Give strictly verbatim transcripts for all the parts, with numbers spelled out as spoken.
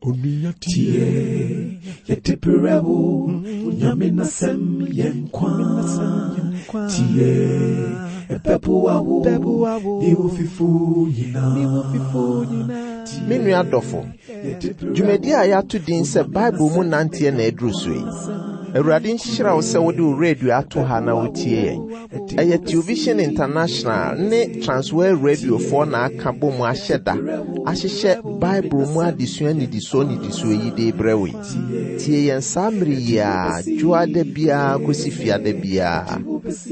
Tie, yɛde brɛ wo, Nyame n'asɛm yɛ nkwa. Tie, ɛbɛboa wo, ne wo fifo nyinaa. Me nua dɔfo, dwumadi a yɛato din sɛ Bible mu nanteɛ na aduru so yi. Awurade nhyira wo sɛ wode wo radio ato ha na wotie yɛn. Ɛyɛ Television International ne Transworld Radiofoɔ na aka bɔ mu ahyɛ da ahyehyɛ Bible mu adesua nnidisoɔ nnidisoɔ yi de brɛ wo yi. Tie yɛn saa mmere yi a dwoada biara kɔsi fiada biara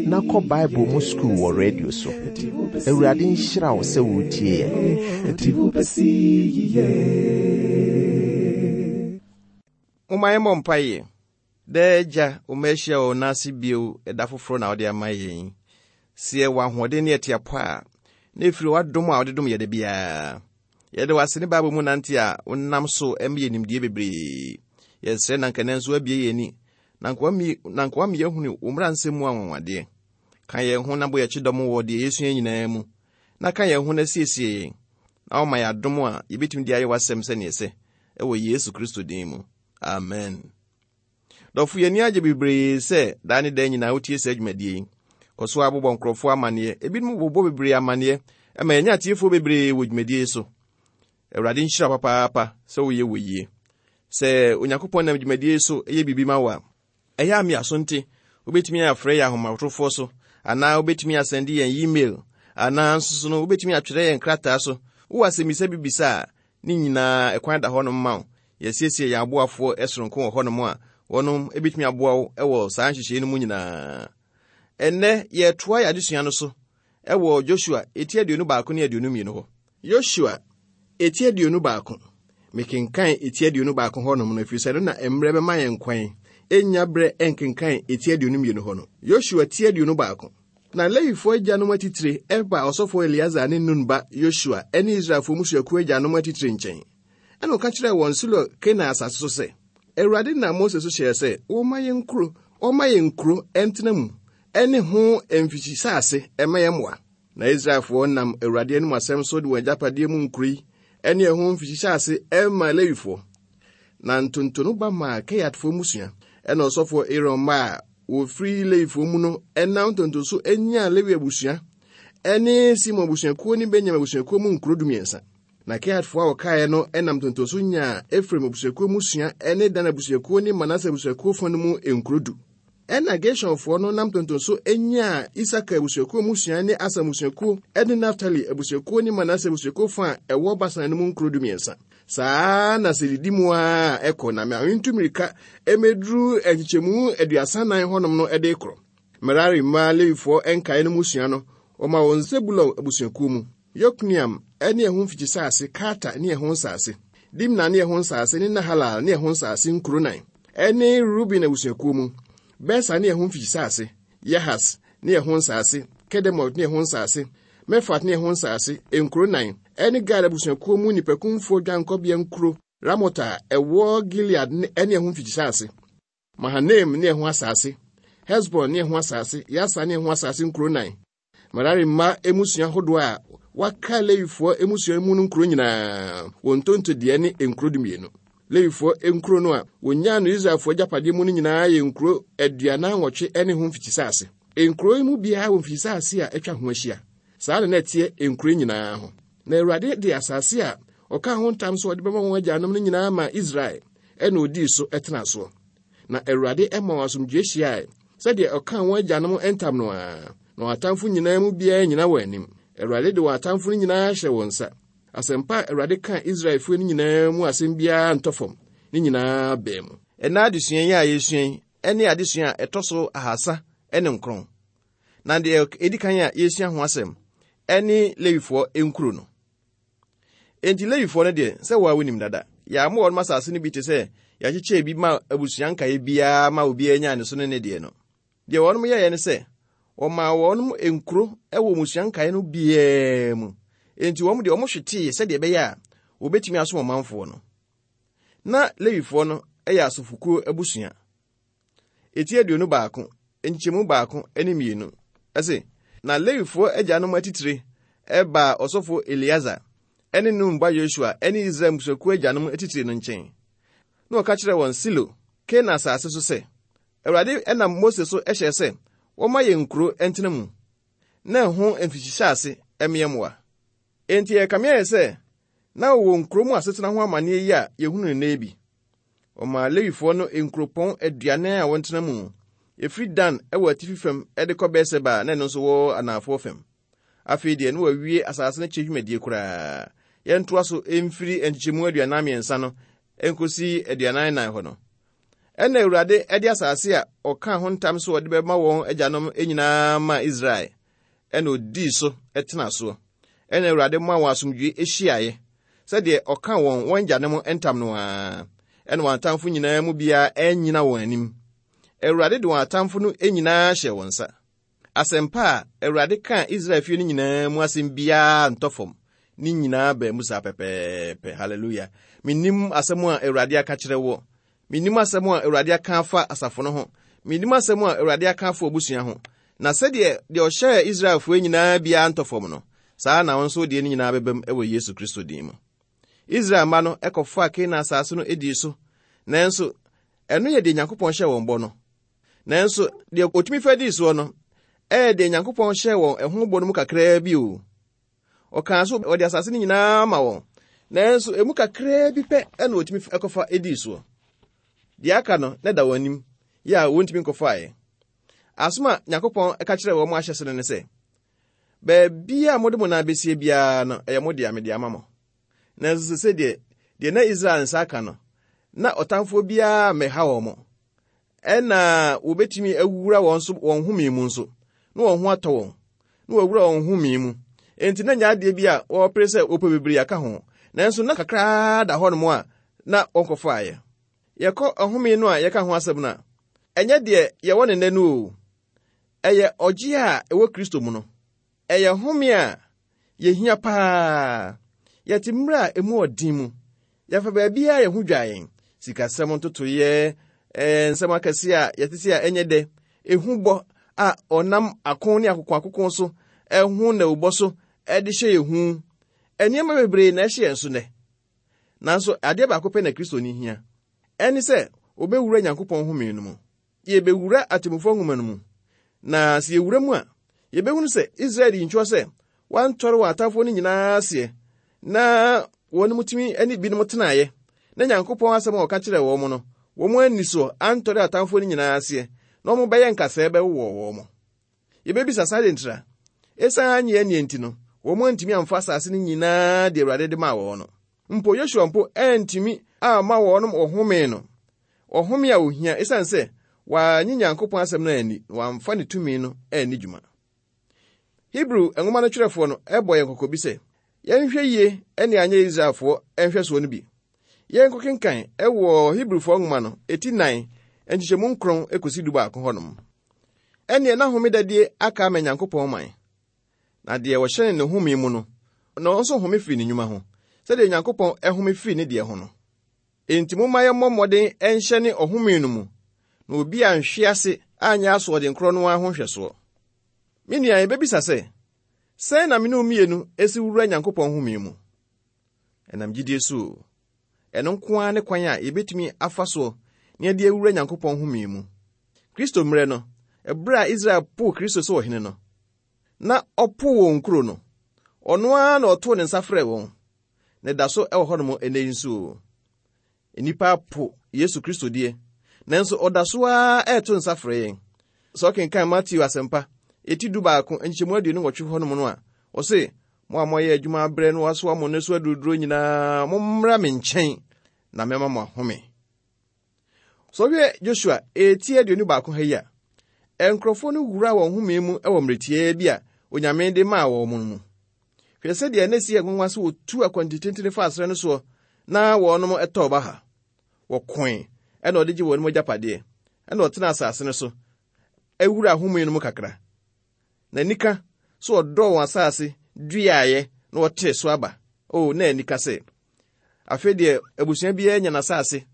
na kɔ Bible mu sukuu wɔ radio so. Awurade nhyira wo sɛ wotie yɛn. Ɛde wo bɛsi yiye. Momma yɛmmɔ mpaeɛ. Daa Agya, wo mma ahyia wɔ wo nan ase bio ɛda foforɔ na wode ama yɛn. Sɛ yɛwɔ ahoɔden ne yɛte apɔ a, na ɛfiri w'adom a wode dom yɛ da biara. Yɛde w'ase ne Bible mu nante a wonam so ma yɛ nimdeɛ bebree. Yɛsrɛ na nka nso abie yɛn ani, na nka wama yɛahunu wo mmara nsɛm mu anwanwadeɛ. Ka yɛn ho na bɔ yɛn kyidɔm wɔ deɛ yɛsua nyinaa mu, na ka yɛn ho na siesie yɛn, na woma yɛ adom a yɛbɛtumi de ayɛ w'asɛm sɛneɛ sɛ, ɛwɔ Yesu Kristo din mu. Amen. Dɔfo, yɛn ani agye bebree sɛ daa ne daa nyinaa wotie saa dwumadie yi. Kɔ so abobɔ nkurɔfoɔ amanneɛ, ebinom bobɔ bebree amanneɛ, ɛma yɛnya atiefoɔ bebree wɔ dwumadie yi so. Awurade nhyira papaapa sɛ woyɛ wɔ yie. Sɛ Onyankopɔn nam dwumadie yi so yɛ biribi ma wo a, ɛyɛ a me so nte, wobɛtumi afrɛ yɛn ahomatorofoɔ so, anaa wobɛtumi asɛnde yɛn email, anaa nso so no wobɛtumi atwerɛ yɛn krataa so. Wowɔ asɛmmisa bi bisa a, ne nyinaa ɛkwan da hɔnom ma wo. Yɛsiesie yɛn aboafoɔ soronko wɔ hɔnom a wɔnom ebɛtumi aboa wo wɔ saa nhyehyɛe no mu nyinaa. Ɛnnɛ yɛtoa yɛn adesua no so ɛwɔ Joshua eti aduonu baako ne aduonu mmienu hɔ. Joshua eti aduonu baako. Mekenkan eti aduonu baako hɔnom no ɛfiri sɛ no na mmerɛ bɛma yɛn kwan ɛnya berɛ ɛnkenkan eti aduonu mmienu hɔ no. Joshua ti aduonu baako. Na Lewifoɔ agyanom atitire ɛba ɔsɔfoɔ Eleazar ne Nun ba Yosua ɛne Israelfoɔ mmusuakuo agyanom atitire nkyɛn. Ɛna ɔka kyerɛɛ wɔn Silo Kanaan asase so sɛ, Awurade nam Mose so hyɛɛ sɛ wɔmma yɛn nkuro, wɔmma yɛn nkuro ɛntena mu, ɛne ho mfikyisase ɛma yɛn mmoa. Na Israelfoɔ nam Awurade anim asɛm so de wɔn agyapadeɛ mu nkuro yi ɛne ɛho mfikyisase ɛma Lewifoɔ. Na ntonto no ba maa Kehatfoɔ mmusua, ɛna ɔsɔfoɔ Aaron mma a wɔfiri Lewifoɔ mu no ɛnam ntonto so nyaa Lewi abusua ɛne Simon abusuakuo ne Benyamin abusuakuo mu nkuro dumiɛnsa. Na Kehatfoɔ a wɔkaeɛ no ɛnam ntonto so nyaa Efraim abusuakuo mmusua ɛne Dan abusuakuo ne Manase abusuakuo fa no mu nkuro du. Ɛna Gershonfoɔ no nam ntonto so nyaa Isakar abusuakuo mmusua ne Aser abusuakuo ɛne Naftali abusuakuo ne Manase abusuakuo fa a ɛwɔ Basan no mu nkuro dumiɛnsa. Saa na sɛ didi mu a ɛkɔ na mentu mmirika ɛmɛduru nkyekyɛmu aduasa nan hɔnom no ɛde korɔ. Merari mma Lewifoɔ nkaeɛ no mmusua no, wɔma wɔn Sebulon abusuakuo mu. Yokneam ne ɛho mfikyisase, Karta ne ɛho nsase, Dimna ne ɛho nsase ne Nahalal ne ɛho nsase nkuro nan. Ɛne Ruben abusuakuo mu, Beser ne ɛho mfikyisase, Yahas ne ɛho nsase, Kedemot ne ɛho nsase, Mefat ne ɛho nsase, nkuro nan. Ɛne Gad abusuakuo mu nnipakumfoɔ dwankɔbea nkuro, Ramot a ɛwɔ Gilead ne ɛho mfikyisase, Mahanaim ne ɛho asase, Hesbon ne ɛho asase, Yasa ne ɛho asase nkuro nan. Merari mma mmusua ahodoɔ a wɔaka Lewifoɔ mmusua mu no nkuro nyinaa, wɔn ntonto deɛ ne nkuro dumienu. Lewifoɔ nkuro no a wɔnyaa no Israelfoɔ agyapadeɛ mu no nyinaa yɛ nkuro aduanan nwɔtwe ne ho mfikyisase. Nkuro yi mu biara wɔ mfikyisase a atwa ho ahyia. Saa na na ɛteɛ nkuro nyinaa ho. Na Awurade de asase a ɔkaa ho ntam sɛ ɔde bɛma wɔn agyanom no nyinaa ma Israel, ɛna odii so tena soɔ. Na Awurade ma wɔn asomdwoe hyiae, sɛdeɛ ɔkaa wɔn agyanom ntam no ara. Na wɔn atamfo nyinaa mu biara nyina wɔn anim. Awurade de wɔn atamfo no nyinaa hyɛ wɔn nsa. Asɛmpa a Awurade kaa Israelfoɔ no nyinaa mu asɛm biara ntɔ fam, ne nyinaa bɛn mu. Ɛnna adesua yi a yɛsua yi ne adesua a ɛtɔ so ahasa ne nkron. Na deɛ ɛdi kan a yɛsua ho asɛm ɛne Lewifoɔ nkuro no. Enti Lewifoɔ no deɛ, sɛ wɔn a wonim dada, yɛama wɔn asase no bi te sɛ yɛakyekyɛ bi ma abusua nkaeɛ biara ma obiara nyaa ne so ne ne deɛ no. Deɛ wɔn yɛeɛ ne sɛ, wɔmaa wɔn nkuro wɔ mmusua nkaeɛ no biara mu. Enti wɔn deɛ wɔn hwetee sɛdeɛ ɛbɛyɛ a wɔbɛtumi asom ɔmanfoɔ no. Na Lewifoɔ no yɛ asɔfokuo abusua. Eti aduonu baako, nkyɛmu baako ne mmienu. Ɛse, na Lewifoɔ agyanom atitire ɛbaa ɔsɔfoɔ Eleazar ne Nun ba Yosua ne Israel mmusuakuo agyanom atitire no nkyɛn. Na wɔka kyerɛɛ wɔn Silo, Kanaan asase so sɛ, Awurade nam Mose so hyɛɛ sɛ wɔmma yɛn nkuro ntena mu, na ɛho mfikyisase mmea mmoa. Enti ɛkame ayɛ sɛ na wɔwɔ nkuro mu asetena ho amanneɛ yi a yɛhunu no nnɛ bi. Ɔmaa Lewifoɔ no nkuropɔn aduanan a wɔntena mu, ɛfiri Dan wɔ atifi fam de kɔ Beer-Seba a na ɛno nso wɔ anafoɔ fam. Afei deɛ na wɔawie asase no kyɛ dwumadie koraa. Yɛntoa so mfiri nkyekyɛmu aduanan mmiɛnsa no nkosi aduanan nan hɔ no. Ɛna Awurade de asase a ɔkaa ho ntam so ɔde bɛma wɔn agyanom nyinaa maa Israel. Ɛna odii so tena soɔ. Ɛna Awurade maa wɔn asomdwoe hyiaeɛ, sɛdeɛ ɔka wɔn wɔn agyanom ntam no ara. Ɛna wɔn atamfo nyinaa mu biara annyina wɔn anim. Awurade de wɔn atamfo no nyinaa hyɛɛ wɔn nsa. Asɛmpa a Awurade kaa Israel fie no nyinaa mu asɛm biara ntɔ fam. Ne nyinaa baa mu saa pɛpɛɛpɛ. Hallelujah. Mennim asɛm a Awurade aka kyerɛ wɔ. Mennim asɛm a Awurade aka afa asafo no ho. Mennim asɛm a Awurade aka afa abusua ho. Na sɛdeɛ deɛ ɔhyɛɛ Israelfoɔ nyinaa biara ntɔ fam no, saa na wɔn nso deɛ no nyinaa bɛbam wɔ Yesu Kristo din mu. Israel mma no kɔfaa Kanaan asase no dii so, nanso ɛno yɛ deɛ Nyankopɔn hyɛɛ wɔn bɔ no. Nanso deɛ otumi fa dii soɔ no, ɛyɛ deɛ Nyankopɔn hyɛɛ wɔn ɛho bɔ no mu kakraa bi o. Ɔkaa so ɔde asase no nyinaa ma wɔn, nanso emu kakraa bi pɛ ɛna otumi kɔfa dii soɔ. Deɛ aka no na da wɔn anim, yɛ a wɔntumi nkɔfaeɛ. Asom a Nyankopɔn ka kyerɛɛ wɔn ahyɛ so no ne sɛ, baabi a mode mo nan besie biara no, ɛyɛ mo dea, mede ama mo. Nanso sɛ deɛ deɛ na Israel nsa aka no, na ɔtamfoɔ biara mmɛha wɔn mo. Ɛna wɔbɛtumi awura wɔn so wɔn home mu nso, na wɔn ho atɔ wɔn, na wɔawura wɔn home mu. Enti na nyɛ adeɛ bi a wɔpere sɛ wɔpɛ bebree aka ho, nanso na kakraa da hɔnom a na wɔnkɔfaeɛ. Yɛkɔ ɔhome no a yɛka ho asɛm no a, ɛnyɛ deɛ yɛwɔ ne nnɛ no o. Ɛyɛ ɔgye a ɛwɔ Kristo mu no. Ɛyɛ home a yɛhia paa. Yɛte mmerɛ a emu ɔden mu. Yɛfa baabiara yɛn ho dwa yɛn. Sikasɛm ntotoeɛ, ɛɛ nsɛm akɛse a yɛte sɛ a ɛnyɛ dɛ, ehu bɔ a ɔnam ako ne akokoakoko so, ɛho nnawubɔ so ɛde hyɛ yɛn hu. Nneɛma bebree na ɛhyɛ yɛn so nnɛ. Nanso adeɛ baako pɛ na Kristoni hia. Ɛne sɛ obɛwura Nyankopɔn home no mu. Yɛbɛwura atemmufoɔ nwoma no mu. Na sɛ yɛwura mu a, yɛbɛhunu sɛ Israel di nkyerɛ sɛ wɔantɔre wɔn atamfoɔ no nyinaa aseɛ, na wɔn mu tumi ne binom tenaeɛ, na Nyankopɔn asɛm a ɔka kyerɛɛ wɔn no, wɔn ani so antɔre atamfoɔ no nyinaa aseɛ, na wɔn bɛyɛ nkasɛɛ bɛwowɔ wɔn. Yɛbɛbisa saa de ntira. Esiane anyɛ annie nti no, wɔn antumi amfa asase no nyinaa de Awurade de maa wɔn no. Mpo Yosua mpo antumi amma wɔn ɔhome no. Ɔhome a ohia esiane sɛ wɔanye Nyankopɔn asɛm no anni na wɔamfa ne tumi no anni dwuma. Hebrew nwoma no twerɛfoɔ no ɛbɔ yɛn kɔkɔ bi sɛ, yɛnhwɛ yie ne anyɛ Israelfoɔ nhwɛsoɔ no bi. Yɛnkɔkenkan ɛwɔ Hebrewfoɔ nwoma no eti nan nkyekyɛmu nkron ekosi du baako hɔnom. Ɛnneɛ na homedadie aka ama Nyankopɔn man. Na deɛ wɔhyɛne ne home mu no, na ɔno nso home firi ne nnwuma ho, sɛdeɛ Nyankopɔn ɛhome firi ne deɛ ho no. Enti momma yɛmmɔ mmɔden ɛnhyɛne ɔhome no mu, na obi anhwe ase anyɛ asoɔden korɔ no ara ho nhwɛsoɔ. Me nua, yɛbɛbisa sɛ, sɛn na me ne wo mmienu esi wura Nyankopɔn home mu? Ɛnam gyidie so o. Ɛno nko ara ne kwan a yɛbɛtumi afa soɔ na yɛde awura Nyankopɔn home mu. Kristo mmerɛ no, ɛberɛ a Israel poo Kristo sɛ ɔhene no, na ɔpoo wɔn kuro no, ɔno ara na ɔtoo ne nsa frɛɛ wɔn. Na ɛda so ɛwɔ hɔnom ɛnnɛ yi nso o. Nnipa apo Yesu Kristo deɛ, nanso ɔda so ara ɛreto nsa frɛ yɛn. Sɛ ɔkenkan Mateo asɛmpa, eti du baako, nkyɛmu aduonu nwɔtwe hɔnom no a, ɔse, mo a moayɛ adwuma abrɛ no wasoa mo ne so aduruduro nyinaa, mommra me nkyɛn na mɛma mo ahome. Sɛ ɔhwɛ Joshua eti aduonu baako ha yi a, nkurɔfoɔ no wura wɔn home mu wɔ mmerɛ tiaa bi a Onyame de maa wɔn mu. Hwɛ sɛdeɛ na esi nwanwa sɛ wɔtu akwantitentene fa asrɛ no soɔ na wɔnom ɛtɔɔ ba ha. Wɔkoe ɛna ɔde gye wɔn mu agyapadeɛ, ɛna ɔtena asase no so awura home no mu kakra. Na nika so ɔdɔɔ wɔn asase duaeɛ na wɔtee so aba. O, na anika sɛ afei deɛ abusua biara nya n'asase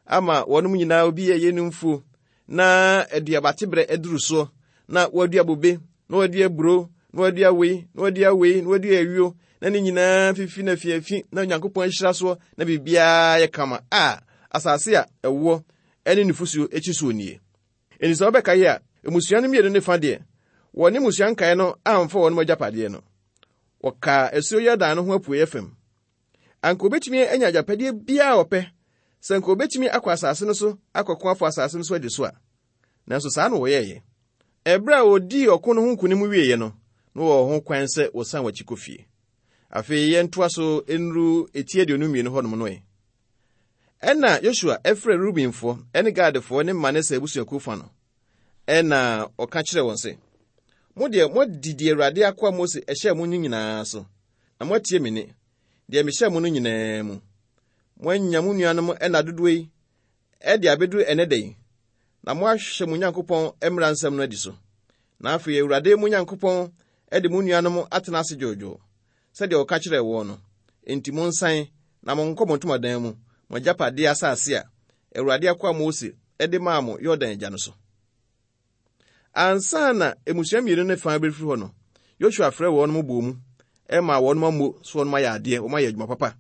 ama wɔnom nyinaa obi yɛ yɛ no mfuo na aduabateberɛ aduru soɔ na wɔadua bobe na wɔadua aburo na wɔadua wei na wɔadua wei na wɔadua ayuo na ne nyinaa fifi na fiafi na Onyankopɔn ahyira soɔ na biribiara yɛ kama a asase a ɛwoɔ ne nufosuo akyi soɔ nie. Enti sɛ wobɛka yi a, mmusua no mmienu ne fa deɛ, wɔne mmusua nkaeɛ no amfa wɔn agyapadeɛ no. Wɔkaa asuo Yordan no ho apueeɛ fam. Anka obetumi anya agyapadeɛ biara a ɔpɛ sɛ anka obetumi akɔ asase no so akɔko afa asase no so adi so a. Nanso saa na wɔyɛeɛ. Ɛberɛ a wɔdii ɔko no ho nkonim wieeɛ no, na wɔwɔ ho kwan sɛ wɔsan wɔn akyi kɔ fie. Afei yɛntoa so nnuru eti aduonu mmienu hɔnom no ɛ. Ɛna Yosua ɛfrɛ Rubenfoɔ ne Gadfoɔ ne Manase abusuakuo fa no. Ɛna ɔka kyerɛɛ wɔn sɛ, mo deɛ moadi deɛ Awurade akoa Mose ɛhyɛɛ mo no nyinaa so, na moatie me nne, deɛ mehyɛɛ mo no nyinaa mu. Moanya mo nuanom ɛna dodoɔ yi ɛde abɛduru ɛnɛ da yi, na moahwɛ mo Nyankopɔn mmara nsɛm no adi so. Na afei Awurade mo Nyankopɔn ɛde mo nuanom atena ase dwoodwoo, sɛdeɛ ɔka kyerɛɛ wɔn no. Enti monsan na monkɔ mo ntomadan mu, mo agyapadeɛ asase a Awurade akoa Mose ɛde maa mo Yordan agya no so. Ansa na mmusua mmienu ne fa bɛfiri hɔ no, Yosua frɛɛ wɔn mo bɔɔ mu, ɛma wɔn ammo so wɔn ayɛ adeɛ, wɔn ayɛ adwuma papa.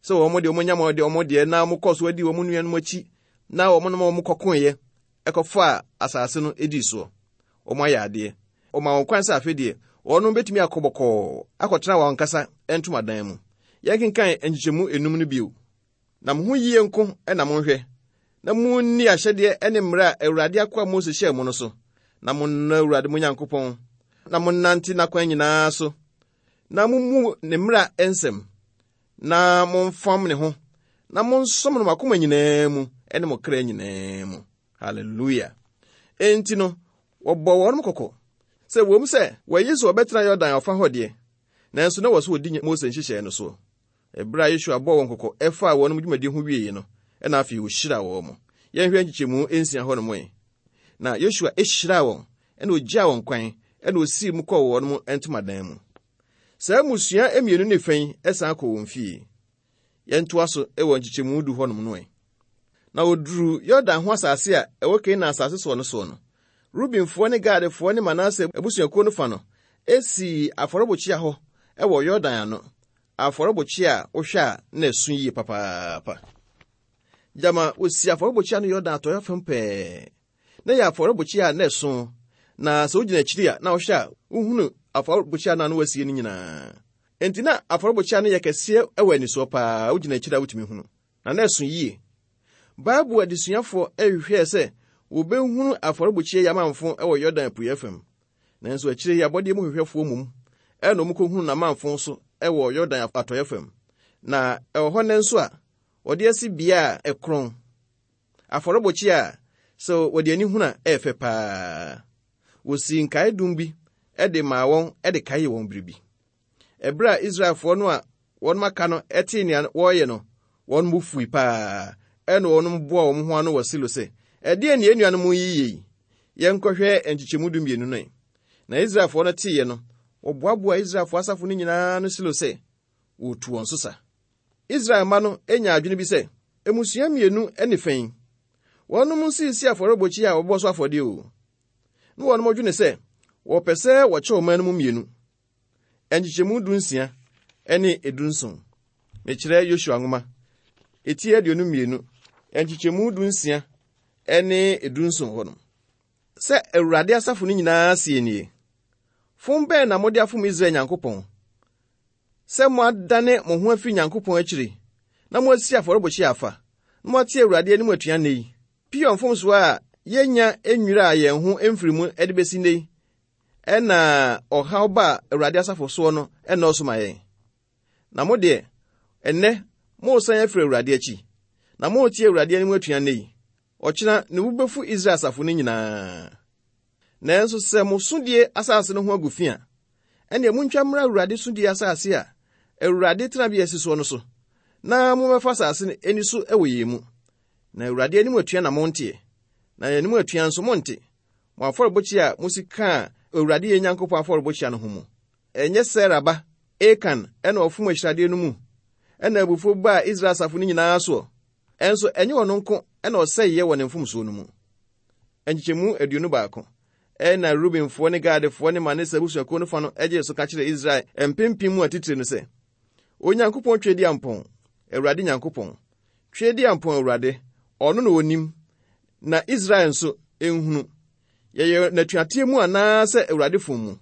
Sɛ wɔn deɛ wɔn anya wɔn deɛ wɔn deɛ na wɔkɔɔ so adi wɔn nuanom akyi na wɔn nom wɔn kɔkoeɛ ɛkɔfaa asase no edii soɔ. Wɔn ayɛ adeɛ. Wɔma wɔn kwan sɛ afei deɛ wɔn bɛtumi akɔ bɔkɔɔ akɔtena wɔn ankasa ntomadan mu. Yɛnkenkan nkyekyɛmu enum no bio. Na mo ho yie nko na monhwɛ, na munni ahyɛdeɛ ne mmara a Awurade akoa Mose hyɛɛ mo no so, na monnɔ Awurade mo Nyankopɔn, na monnante n'akwan nyinaa so, na mummu ne mmara nsɛm, na momfam ne ho, na monsom no mo akoma nyinaa mu ne mo kra nyinaa mu. Hallelujah. Enti no, wɔbɔ wɔn kɔkɔ sɛ wɔm sɛ wɔayi sɛ wɔbɛtena Yordan ɔfa hɔ deɛ, nanso na wɔ so wɔdi Mose nhyehyɛe no soɔ. Ɛberɛ a Yosua bɔɔ wɔn kɔkɔ ɛfaa wɔn dwumadi ho wieeɛ no, ɛna afei wɔhyiraa wɔn mo. Yɛnhwɛ nkyekyɛmu nsia hɔ nom ɛ. Na Yosua hyiraa wɔn, ɛna ogyaa wɔn kwan, ɛna osii mu kɔɔ wɔn mo ntomadan mu. Saa mmusua mmienu ne fa yi ɛsan kɔ wɔn fie. Yɛntoa so wɔ nkyekyɛmu du hɔnom no ɛ. Na wɔduruu Yordan ho asase a ɛwɔ Kanaan asase soɔ no soɔ no, Rubenfoɔ ne Gadfoɔ ne Manase abusuakuo no fa no esii afɔrebukyia hɔ ɛwɔ Yordan ano. Afɔrebukyia a wohwɛ a na ɛso yie papaapa. Gyama wosi afɔrebukyia no Yordan atɔeɛ fam pɛɛ. Na yɛ afɔrebukyia a na ɛso, na sɛ wogyina akyiri a na wohwɛ a wohunu afɔrebukyia no a na wasie no nyinaa. Enti na afɔrebukyia no yɛ kɛseɛ wɔ anisoɔ paa, wogyina akyiri a wotumi hunu. Na na ɛso yie. Bible adesuafoɔ ɛhwehwɛɛ sɛ wɔbɛhunu afɔrebukyia yi amanfo wɔ Yordan apueeɛ fam. Nanso akyire yi abɔdeɛ mu hwehwɛfoɔ mum ɛna wɔn kɔhunu n'amanfo so wɔ Yordan atɔeɛ fam. Na ɛwɔ hɔ nnɛ nso a wɔde asi bea a ɛkorɔn. Afɔrebukyia a sɛ wɔde ani hunu a ɛyɛ fɛ paa. Wɔsii nkaedum bi de maa wɔn de kaee wɔn biribi. Ɛberɛ a Israelfoɔ no a wɔn aka no tee nea wɔreyɛ no, wɔn bo fui paa. Ɛna wɔn boaa wɔn ho ano wɔ Silo sɛ, ɛdeɛn ne yɛn nuanom yi yɛ yi? Yɛnkɔhwɛ nkyekyɛmu du mmienu no ɛ. Na Israelfoɔ no teeɛ no, wɔboaboaa Israelfoɔ asafo no nyinaa no Silo sɛ wɔretu wɔn so sa. Israel mma no nya adwene bi sɛ, mmusua mmienu ne fa yi, wɔnom nsisi afɔrebukyia a wɔbɔ so afɔdeɛ o. Na wɔnom dwene sɛ wɔpɛ sɛ wɔkyɛ ɔman no mu mmienu. Nkyekyɛmu du nsia ne edu nson. Mekyerɛ Yosua nwoma, eti aduonu mmienu, nkyekyɛmu du nsia ne edu nson hɔ nom. Sɛ Awurade asafo no nyinaa sie nie, fom bɛn na mode afom Israel Nyankopɔn? Sɛ moadane mo ho afiri Nyankopɔn akyiri, na moasi afɔrebukyia afa, na moate Awurade anim atua nnɛ yi. Peor mfomsoɔ a yɛnya nnwiraa yɛn ho mfiri mu de bɛsi nnɛ yi, ɛna ɔhaw ba a Awurade asafo soɔ no ɛnnɔɔso ma yɛn. Na mo deɛ, ɛnnɛ, moresan afiri Awurade akyi, na moretie Awurade anim atua nnɛ yi. Ɔkyena ne bo bɛfu Israel asafo no nyinaa. Nanso sɛ mo sodie asase no ho agu fi a, ɛnneɛ montwa mmra Awurade sodie asase a Awurade tenabea si soɔ no so, na mommɛfa asase no ani so wɔ yɛn mu. Na Awurade anim atua na monteɛ, na yɛn anim atua nso monte. Mo afɔrebukyia a mosi kaa Awurade yɛn Nyankopɔn afɔrebukyia no ho mu. Ɛnyɛ Sera ba Akan ɛna ɔfom ahyiradeɛ no mu, ɛna abufuo baa Israel asafo no nyinaa soɔ. Ɛnso ɛnyɛ ɔno nko ɛna ɔsɛeɛ wɔ ne mfomsoɔ no mu. Nkyekyɛmu aduonu baako. Ɛna Rubenfoɔ ne Gadfoɔ ne Manase abusuakuo no fa no gyee so ka kyerɛɛ Israel mpempem mu atitire no sɛ, Onyankopɔn twe di ampɔn, Awurade Nyankopɔn. Twe di ampɔn Awurade, ɔno na onim. Na Israel nso nhunu. Yɛyɛ n'atuateɛ mu anaasɛ Awurade fom mu.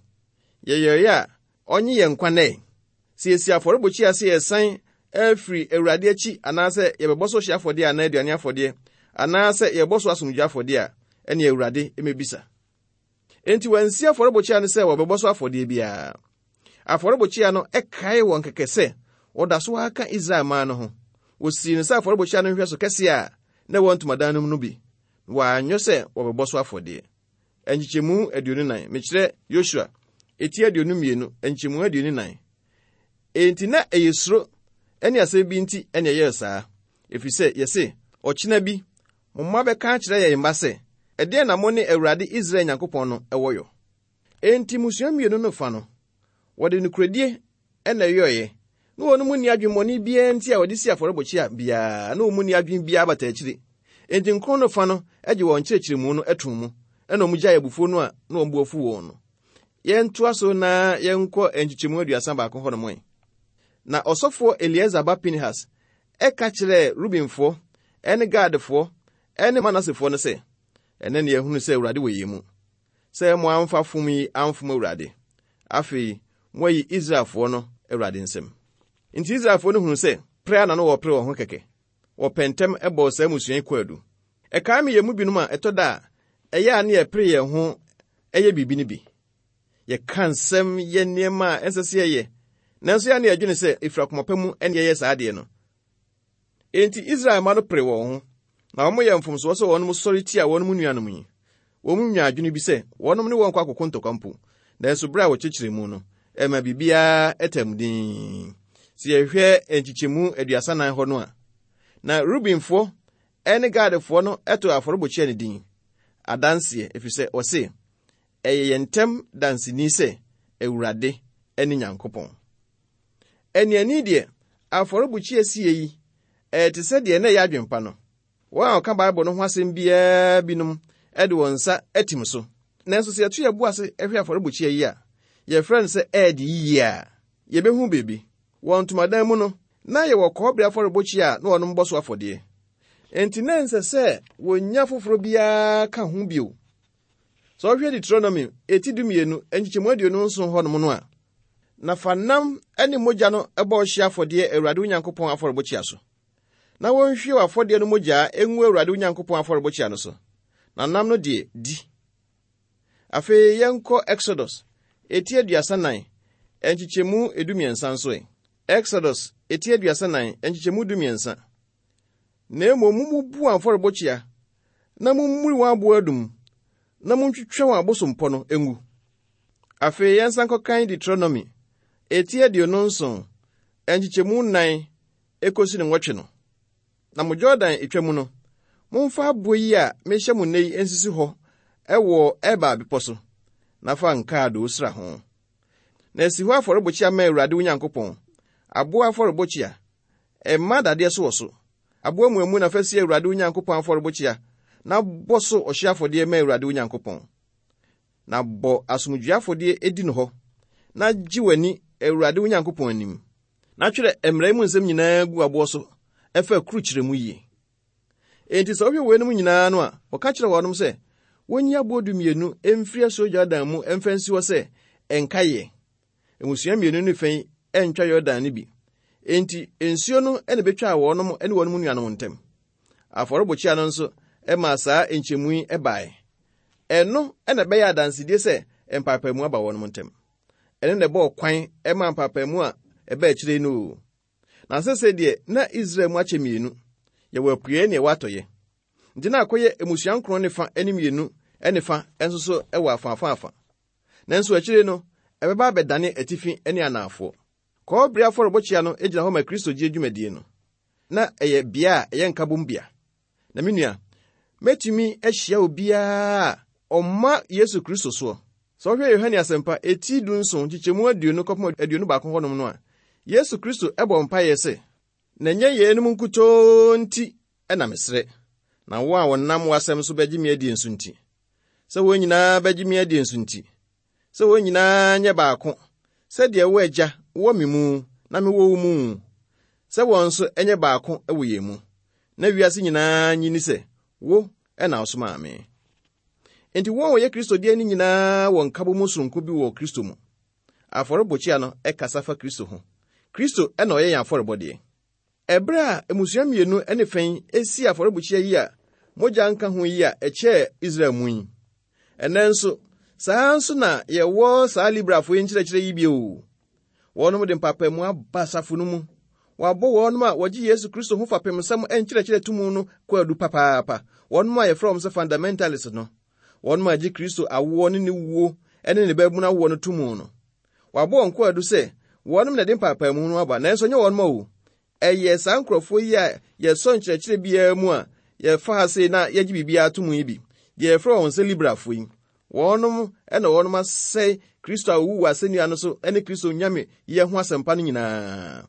Yɛyɛeɛ a ɔnye yɛn nkwa nnɛ. Sɛ yɛsi afɔrebukyia sɛ yɛsan afiri Awurade akyi anaasɛ yɛbɛbɔ so hye afɔdeɛ anaa aduane afɔdeɛ anaasɛ yɛbɔ so asomdwe afɔdeɛ a, ɛne Awurade mmɛbisa. Enti wɔansi afɔrebukyia no sɛ wɔbɛbɔ so afɔdeɛ biara. Afɔrebukyia no ɛkae wɔn kɛkɛ sɛ wɔda so aka Israel man no ho. Wɔsii no sɛ afɔrebukyia no nhwɛso kɛseɛ a na ɛwɔ ntomadan no mu no bi. Wɔanyɔ sɛ wɔbɛbɔ so afɔdeɛ. Nkyekyɛmu aduonu nan, mekyerɛ Yosua, eti aduonu mmienu, nkyekyɛmu aduonu nan. Enti na ɛyɛ suro ɛne asɛm bi nti ɛne ɛyɛɛ saa. Ɛfiri sɛ yɛse, ɔkyena bi, mo mma bɛka akyerɛ yɛn mma sɛ, ɛdeɛn na mo ne Awurade Israel Nyankopɔn no ɛwɔ yɔ? Enti mmusua mmienu no fa no, wɔde nokoredie ɛna ɛyɔeɛ. Na wɔn mu nni adwemmɔne biara nti a wɔde si afɔrebukyia biara, na wɔn mu nni adwene biara bata akyiri. Enti nkron no fa no gye wɔn nkyerɛkyerɛmu no to mu, ɛna wɔn gyae abufuo no a na wɔn bo afu wɔn no. Yɛntoa so na yɛnkɔ nkyekyɛmu aduasa baako hɔ nom ɛ. Na ɔsɔfoɔ Eleasar ba Pinehas ɛka kyerɛɛ Rubenfoɔ ɛne Gadfoɔ ɛne Manasefoɔ no sɛ, ɛnɛ ne yɛhunu sɛ Awurade wɔ yɛn mu, sɛ mo amfa fom yi amfom Awurade. Afei, moayi Israelfoɔ no Awurade nsam. Nti Israelfoɔ no hunu sɛ pere a na no wɔpere wɔn ho kɛkɛ. Wɔpɛ ntɛm ɛbɔɔ saa mmusua yi kwaadu. Ɛkae me yɛn mu binom a ɛtɔ da a ɛyɛ a ne yɛpere yɛn ho ɛyɛ biribi no bi. Yɛka nsɛm yɛ nneɛma a ɛnsɛ sɛ yɛyɛ, nanso yɛ a ne yɛdwene sɛ ɛfiri akoma pa mu ɛne yɛyɛ saa adeɛ no. Enti Israel mma no pere wɔn ho, na wɔn yɛ mfomsoɔ sɛ wɔn sɔre tia wɔn mu nuanom yi. Wɔn mu nya adwene bi sɛ wɔnom ne wɔn kɔ akoko ntɔkwa mpo, nanso bere a wɔkyekyere mu no, ɛma biribiara ɛtam din. Sɛ yɛhwɛ nkyekyɛmu aduasa nan hɔ no a, na Rubenfoɔ ɛne Gadfoɔ no ɛto afɔrebukyia no din adanseɛ, ɛfiri sɛ wɔse, ɛyɛ yɛn ntam danseni sɛ Awurade ɛne Nyankopɔn. Aniani deɛ, afɔrebukyia sie yi, ɛyɛ te sɛ deɛ na ɛyɛ adwempa no. Wɔn a wɔka Bible no ho asɛm biara binom ɛde wɔn nsa atim so. Nanso sɛ yɛto yɛn bo ase hwɛ afɔrebukyia yi a, yɛfrɛ no sɛ ɛɛde yie a, yɛbɛhu biribi. Wɔ ntomadan mu no, na yɛwɔ kɔbere afɔrebukyia a na wɔnom bɔ so afɔdeɛ. Enti na ɛnsɛ sɛ wɔnya foforɔ biara ka ho bio. Sɛ ɔhwɛ Deuteronomy eti dumienu nkyekyɛmu aduonu nson hɔnom no a, na fa nam ne mogya no bɔ ɔhyeɛ afɔdeɛ Awurade wo Nyankopɔn afɔrebukyia so. Na wɔnhwie w'afɔdeɛ no mogya ngu Awurade wo Nyankopɔn afɔrebukyia no so. Na nam no deɛ, di. Afei yɛnkɔ Exodus eti aduasa nan nkyekyɛmu edumiɛnsa nso ɛ. Exodus eti aduasa nan nkyekyɛmu dumiɛnsa. Na mmom mummubu afɔrebukyia na mummuri wɔn aboɔ adum na montwitwa wɔn abosompɔ no ngu. Afei yɛnsan kɔkan Deuteronomy eti aduonu nson nkyekyɛmu nnan ekosi ne nwɔtwe no. Na mo Jordan etwa mu no, momfa aboɔ yi a mehyɛ mo nnɛ yi nsisi hɔ ɛwɔ Ebal bepɔ so, na fa nkaadoo sra ho. Na esi hɔ afɔrebukyia ma Awurade wo Nyankopɔn, aboɔ afɔrebukyia, ɛmma dadeɛ so wɔ so. Aboɔ muamu na fa si Awurade wo Nyankopɔn afɔrebukyia, na bɔ so ɔhyeɛ afɔdeɛ ma Awurade wo Nyankopɔn. Na bɔ asomdwoe afɔdeɛ edi no hɔ, na gye w'ani Awurade wo Nyankopɔn anim. Na twerɛ mmara yi mu nsɛm nyinaa gu aboɔ so, ɛfa kurukyerɛ mu yie. Enti sɛ wohwɛ weinom nyinaa no a, wɔka kyerɛ wɔnom sɛ, wonyi aboɔ dumienu mfiri asuo Jordan mu mfa nsi hɔ sɛ ɛnkaeɛ. Mmusua mmienu no fa yi ɛntwa Yordan no bi. Enti nsuo no na ebetwaa wɔnom ne wɔn nuanom ntam. Afɔrebukyia no nso ɛmaa saa nkyɛmu yi baeɛ. Ɛno na ɛbɛyɛ adansedie sɛ mpaapaemu aba wɔnom ntam. Ɛno na ɛbɔɔ kwan ɛmaa mpaapaemu a ɛbaa akyire no o. Na sɛsɛ deɛ na Israel mu akyɛ mmienu. Yɛwɔ apueɛ ne ɛwɔ atɔeɛ. Nti na akɔyɛ mmusua nkron ne fa ne mmienu ne fa nso so wɔ afaafa. Nanso akyire no, ɛbɛba abɛdane atifi ne anaafoɔ. Kɔbere afɔrebukyia no gyina hɔ ma Kristo gye dwumadie no. Na ɛyɛ bea a ɛyɛ nkabom bea. Na me nua, mɛtumi ahyia obiara a ɔmma Yesu Kristo soɔ. Sɛ wohwɛ Yohane Asɛmpa eti du nson nkyekyɛmu aduonu kɔpem aduonu baako hɔnom no a, Yesu Kristo ɛbɔ mpaeɛ sɛ, na ɛnyɛ yeinom nkutoo nti ɛna mesrɛ, na wo a wɔnam w'asɛm so bɛgye me adie nso nti, sɛ wɔn nyinaa bɛgye me adie nso nti, sɛ wɔn nyinaa nyɛ baako, sɛdeɛ wo Agya wɔ me mu na mewɔ wo mu, sɛ wɔn nso ɛnyɛ baako wɔ yɛn mu, na wiase nyinaa nyi ni sɛ wo ɛna wosomaa me. Enti wɔn a wɔyɛ Kristo deɛ no nyinaa wɔ nkabom sononko bi wɔ Kristo mu. Afɔrebɔkyia no ɛkasa fa Kristo ho. Kristo ɛna ɔyɛ yɛn afɔrebɔdeɛ. Ɛberɛ a mmusua mmienu ne fɛn esi afɔrebukyia yi a mogya nka ho yi a ɛkyɛɛ Israel mu yi. Ɛnɛ nso, saa nso na yɛwɔ saa Librafo yi nkyerɛkyerɛ yi bio. Wɔnom de mpaapaemu aba asafo no mu. Wɔabɔ wɔnom a wɔgye Yesu Kristo ho fapem nsɛm nkyerɛkyerɛ tumu no kwaadu papaapa. Wɔnom a yɛfrɛ wɔn sɛ fundamentalist no. Wɔnom a gye Kristo awoɔ ne ne wuo ne ne babunu awoɔ no tumu no. Wɔabɔ wɔn kwaadu sɛ wɔnom na ɛde mpaapaemu no aba, nanso ɛnyɛ wɔnom o. Ɛyɛ saa nkurɔfoɔ yi a yɛsɔ nkyerɛkyerɛ biara mu a yɛfa ha sei na yɛgye biribiara to mu yi bi. Deɛ yɛfrɛ wɔn sɛ Librafo yi. Wɔnom ɛna wɔnom asɛe Kristo a owu wɔ asɛnnua no so ne Kristo nyame yɛ ho asɛmpa no nyinaa.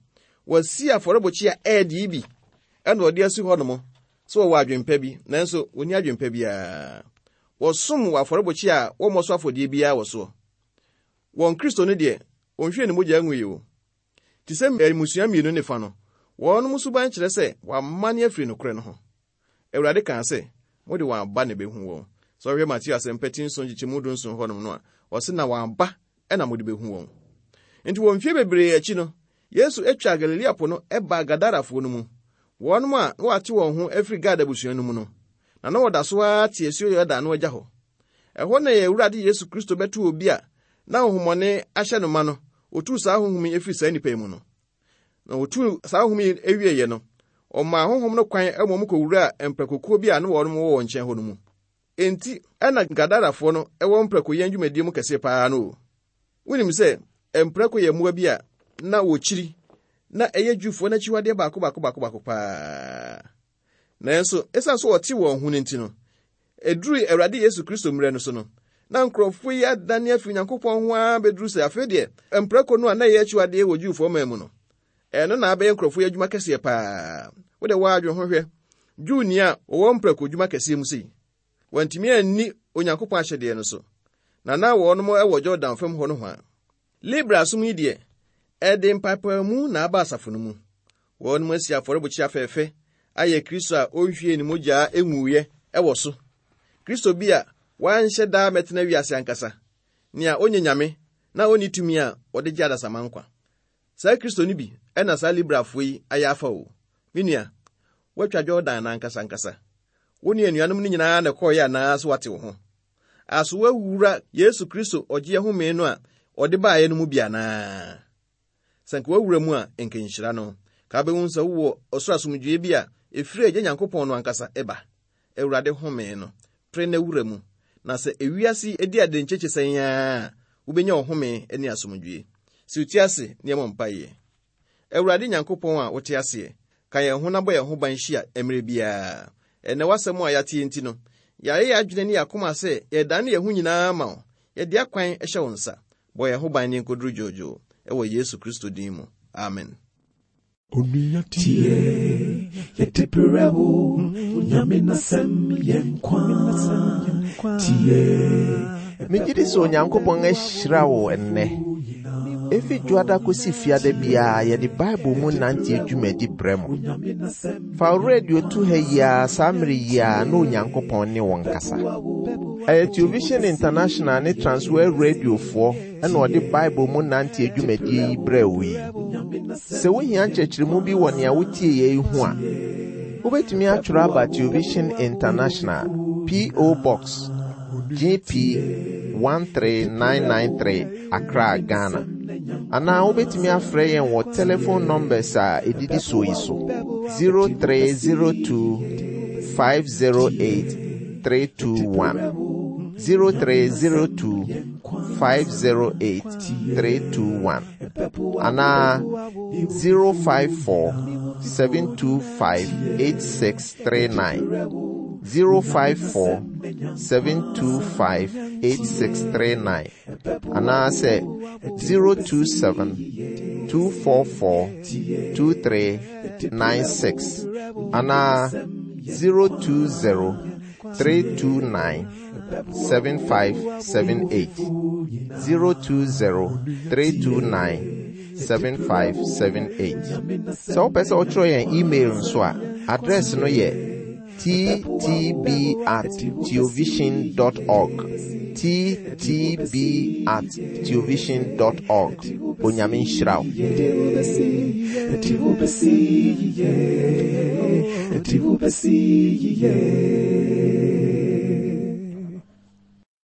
Wɔasi afɔrebɔkyia ɛɛde yi bi ɛna wɔde asi hɔnom sɛ wɔwɔ adwempa bi, nanso wɔnni adwempa biara. Wɔsom wɔ afɔrebɔkyia a wɔmmɔ so afɔdeɛ biara wɔ soɔ. Wɔn Kristo no deɛ, wɔnhwie ne mogya ngu yi o. Te sɛ mmusua mmienu ne fa no, wɔnom suban kyerɛ sɛ wɔamane afiri nokorɛ no ho. Awurade kaa sɛ, mode wɔn aba na ɛbɛhu wɔn. Sɛ ɔhwɛ Mateo asɛmpa ti nson nkyekyɛmu dunson hɔnom no a, ɔse na wɔn aba ɛna mode bɛhu wɔn. Nti wɔ mfie bebree akyi no, Yesu atwa Galilea po no ɛbaa Gadarafoɔ no mu. Wɔnom a na wɔate wɔn ho afiri Gad abusua no mu no, na na wɔda so ara te asuo Yordan no agya hɔ. Ɛhɔ na yɛn Awurade Yesu Kristo bɛto obi a na honhommɔne ahyɛ no ma no, otuu saa honhom yi afiri saa nnipa yi mu no. Na otuu saa honhom yi awieeɛ no, ɔmaa honhom no kwan ma wɔn kɔwuraa mprakokuo bi a na wɔn wɔ wɔn nkyɛn hɔ no mu. Enti ɛna Gadarafoɔ no ɛwɔ mprakoyɛn dwumadie mu kɛseɛ paa no o. Wonim sɛ mprako yɛ mmoa bi a na wɔkyiri na ɛyɛ Jewfoɔ no akyiwadeɛ baako baako baako baako paa. Nanso ɛsiane sɛ wɔte wɔn ho no nti no, ɛduruu Awurade Yesu Kristo mmerɛ no so no, na nkurɔfoɔ yi adane afiri Onyankopɔn ho ara bɛduru sɛ afei deɛ mprako no a na ɛyɛ akyiwadeɛ wɔ Jewfoɔ man mu no, ɛno na abɛyɛ nkurɔfoɔ yi adwuma kɛseɛ paa. Wode wɔadwene ho hwɛ, Jewni a ɔwɔ mprako dwuma kɛseɛ mu sei, wɔntumi anni Onyankopɔn ahyɛdeɛ no so, na na wɔnom wɔ Jordan fam hɔ no ho a. Libra som yi deɛ, ɛde mpaapaemu na aba asafo no mu. Wɔnom asi afɔrebukyia fɛɛfɛ ayɛ Kristo a ɔnhwie ne mogya enwuiɛ ɛwɔ so. Kristo bi a wanhyɛ daa mɛtena wiase ankasa, nea ɔnyɛ nyame na ɔnni tumi a ɔde gye adasamma nkwa. Saa Kristo no bi ɛna saa Librafoɔ yi ayɛ afa o. Me nua, woatwa Jordan n'ankasa ankasa. Wo ne anuanom no nyinaa na ɛkɔɔeɛ anaa so wate wo ho? Aso woawura Yesu Kristo ɔgyeɛ home no a ɔde baeɛ no mu bi anaa? Sɛ nka woawura mu a, nka nhyira no. Ka wobɛhu sɛ wowɔ ɔsoro asomdwoeɛ bi a ɛfiri Agya Nyankopɔn no ankasa ɛba. Awurade home no, pere na wura mu. Na sɛ ewiase edi ade nkyekye sɛn a, wobɛnya ɔhome ne asomdwoeɛ. Si wo ti ase na yɛmmɔ mpaeɛ. Awurade Nyankopɔn a wote aseɛ, ka yɛn ho na bɔ yɛn ho ban hyia mmerɛ biara. Ɛnnɛ w'asɛm a yɛate nti no, yɛayɛ yɛn adwene ne yɛn akoma sɛ yɛdane yɛn ho nyinaa ma wo. Yɛde akwan hyɛ wo nsa. Bɔ yɛn ho ban ne nkoduru dwoodwoo ɛwɔ Yesu Kristo din mu. Amen. Onua tie, yɛde brɛ wo, Onyame n'asɛm yɛ nkwa. Tie, Megye di sɛ Onyankopɔn ahyira wo ɛnnɛ. Efi dwoada kosi fiada biara yɛde Bible mu nante dwumadi brɛ mo. Fa wo radio to ha yi ara saa mmere yi ara na Onyankopɔn ne wo nkasa. Ɛyɛ Television International ne Transworld Radiofoɔ ɛna ɔde Bible mu nante dwumadie yi brɛ wo yi. Sɛ wohia nkyerɛkyerɛmu bi wɔ nea wotie yɛ yi ho a, wobɛtumi atwerɛ aba Television International, P O. Box G P one three nine nine three, Accra, Ghana. Anaa wobɛtumi afrɛ yɛn wɔ telephone numbers a ɛdidi soɔ yi so: zero three zero two five zero eight three two one, zero three zero two five zero eight three two one, anaa zero five four seven two five eight six three nine, zero five four seven two five eight six three nine, anaasɛ zero two seven two four four two three nine six, anaa zero two zero three two nine seven five seven eight, zero two zero three two nine seven five seven eight. Sɛ wopɛ sɛ wotwerɛ yɛn email nso a, address no yɛ ttb at theovision dot org, ttb at theovision dot org. Onyame nhyira wo. Yɛde wo bɛsi, yɛde wo bɛsi yie, yɛde wo bɛsi yie.